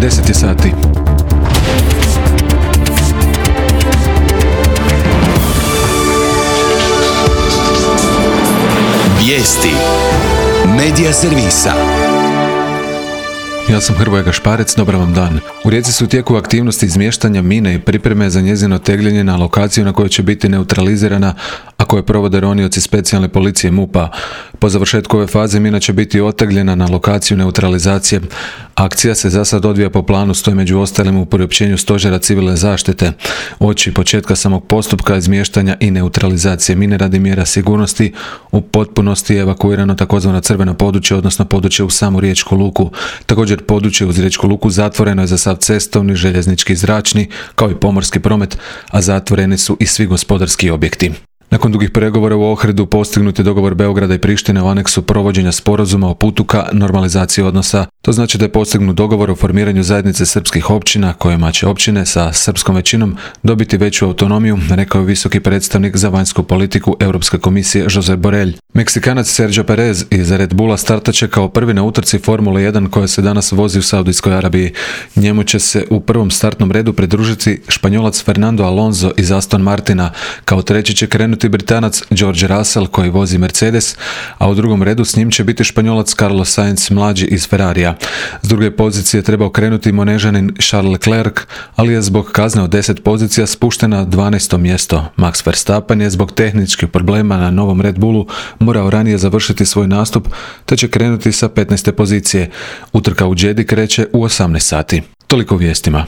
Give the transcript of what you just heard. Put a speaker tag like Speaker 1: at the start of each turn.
Speaker 1: 10 je sati.
Speaker 2: Vijesti Medija servisa.
Speaker 1: Ja sam Hrvoje Gašparec, dobar vam dan. U Rijeci su u tijeku aktivnosti izmještanja mine i pripreme za njezino tegljenje na lokaciju na kojoj će biti neutralizirana, a koje provode ronioci specijalne policije MUP-a. Po završetku ove faze mina će biti otegljena na lokaciju neutralizacije. Akcija se za sad odvija po planu, stoji među ostalim u priopćenju Stožera civilne zaštite. Uoči početka samog postupka izmještanja i neutralizacije mine radi mjera sigurnosti u potpunosti je evakuirano takozvano crveno područje, odnosno područje u samu Riječku luku. Također područje uz Riječku luku zatvoreno je za sav cestovni, željeznički i zračni, kao i pomorski promet, a zatvoreni su i svi gospodarski objekti. Nakon dugih pregovora u Ohridu postignut je dogovor Beograda i Prištine u aneksu provođenja sporazuma o putu ka normalizaciji odnosa. To znači da je postignut dogovor o formiranju zajednice srpskih općina, kojima će općine sa srpskom većinom dobiti veću autonomiju, rekao je visoki predstavnik za vanjsku politiku Europske komisije Josep Borrell. Meksikanac Sergio Perez iz Red Bulla startaće kao prvi na utrci Formule 1 koja se danas vozi u Saudijskoj Arabiji. Njemu će se u prvom startnom redu pridružiti Španjolac Fernando Alonso iz Aston Martina. Kao treći će krenuti Britanac George Russell koji vozi Mercedes, a u drugom redu s njim će biti Španjolac Carlos Sainz mlađi iz Ferrarija. S druge pozicije trebao krenuti Monežanin Charles Leclerc, ali je zbog kazne od 10 pozicija spušten na 12. mjesto. Max Verstappen je zbog tehničkih problema na novom Red Bullu morao ranije završiti svoj nastup, te će krenuti sa 15. pozicije. Utrka u Jeddi kreće u 18 sati. Toliko u vijestima.